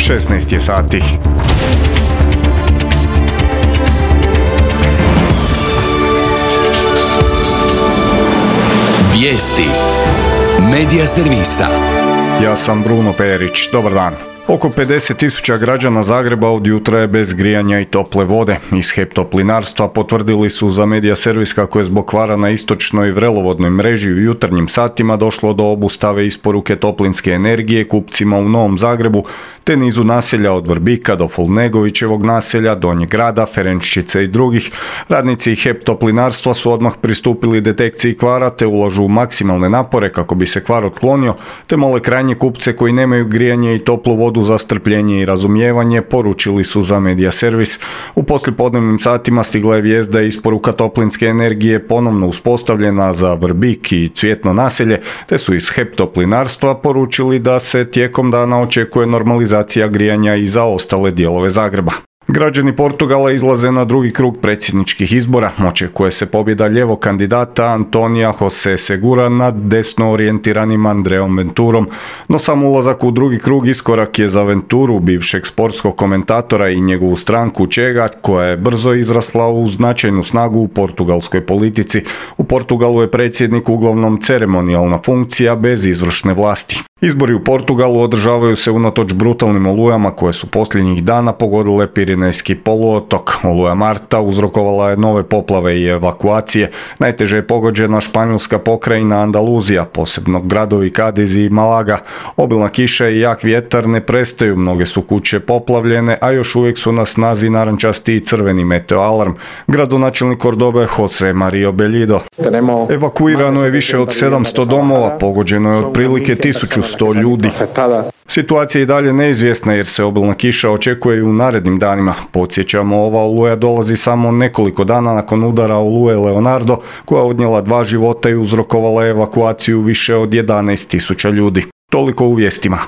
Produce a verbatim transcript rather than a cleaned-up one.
šesnaest je sati. Vijesti Medija servisa. Ja sam Bruno Perić. Dobar dan. Oko pedeset tisuća građana Zagreba od jutra je bez grijanja i tople vode. Iz HEP Toplinarstva potvrdili su za Medija servis kako je zbog kvara na istočnoj vrelovodnoj mreži u jutarnjim satima došlo do obustave isporuke toplinske energije kupcima u Novom Zagrebu, te nizu naselja od Vrbika do Fulnegovićevog naselja, Donjeg grada, Ferenččice i drugih. Radnici HEP Toplinarstva su odmah pristupili detekciji kvara te ulažu maksimalne napore kako bi se kvar otklonio, te mole krajnje kupce koji nemaju grijanje i toplu vodu za strpljenje i razumijevanje, poručili su za Medija servis. U poslijepodnevnim satima stigla je vijest da je isporuka toplinske energije ponovno uspostavljena za Vrbik i Cvjetno naselje, te su iz HEP Toplinarstva poručili da se tijekom dana očekuje normalizacija grijanja i za ostale dijelove Zagreba. Građani Portugala izlaze na drugi krug predsjedničkih izbora. Očekuje se pobjeda ljevog kandidata Antonija Jose Segura nad desno orijentiranim Andreom Venturom, no sam ulazak u drugi krug iskorak je za Venturu, bivšeg sportskog komentatora, i njegovu stranku Čega, koja je brzo izrasla u značajnu snagu u portugalskoj politici. U Portugalu je predsjednik uglavnom ceremonijalna funkcija bez izvršne vlasti. Izbori u Portugalu održavaju se unatoč brutalnim olujama koje su posljednjih dana pogodile Pirinejski poluotok. Oluja Marta uzrokovala je nove poplave i evakuacije. Najteže je pogođena španjolska pokrajina Andaluzija, posebno gradovi Kadiz i Malaga. Obilna kiša i jak vjetar ne prestaju, mnoge su kuće poplavljene, a još uvijek su na snazi narančasti i crveni meteo alarm. Gradonačelnik Cordobe Jose Mario Bellido. Evakuirano je više od sedamsto domova, pogođeno je otprilike tisuću sto ljudi. Situacija je i dalje neizvjesna jer se obilna kiša očekuje i u narednim danima. Podsjećamo, ova oluja dolazi samo nekoliko dana nakon udara oluje Leonardo, koja je odnijela dva života i uzrokovala evakuaciju više od jedanaest tisuća ljudi. Toliko u vijestima.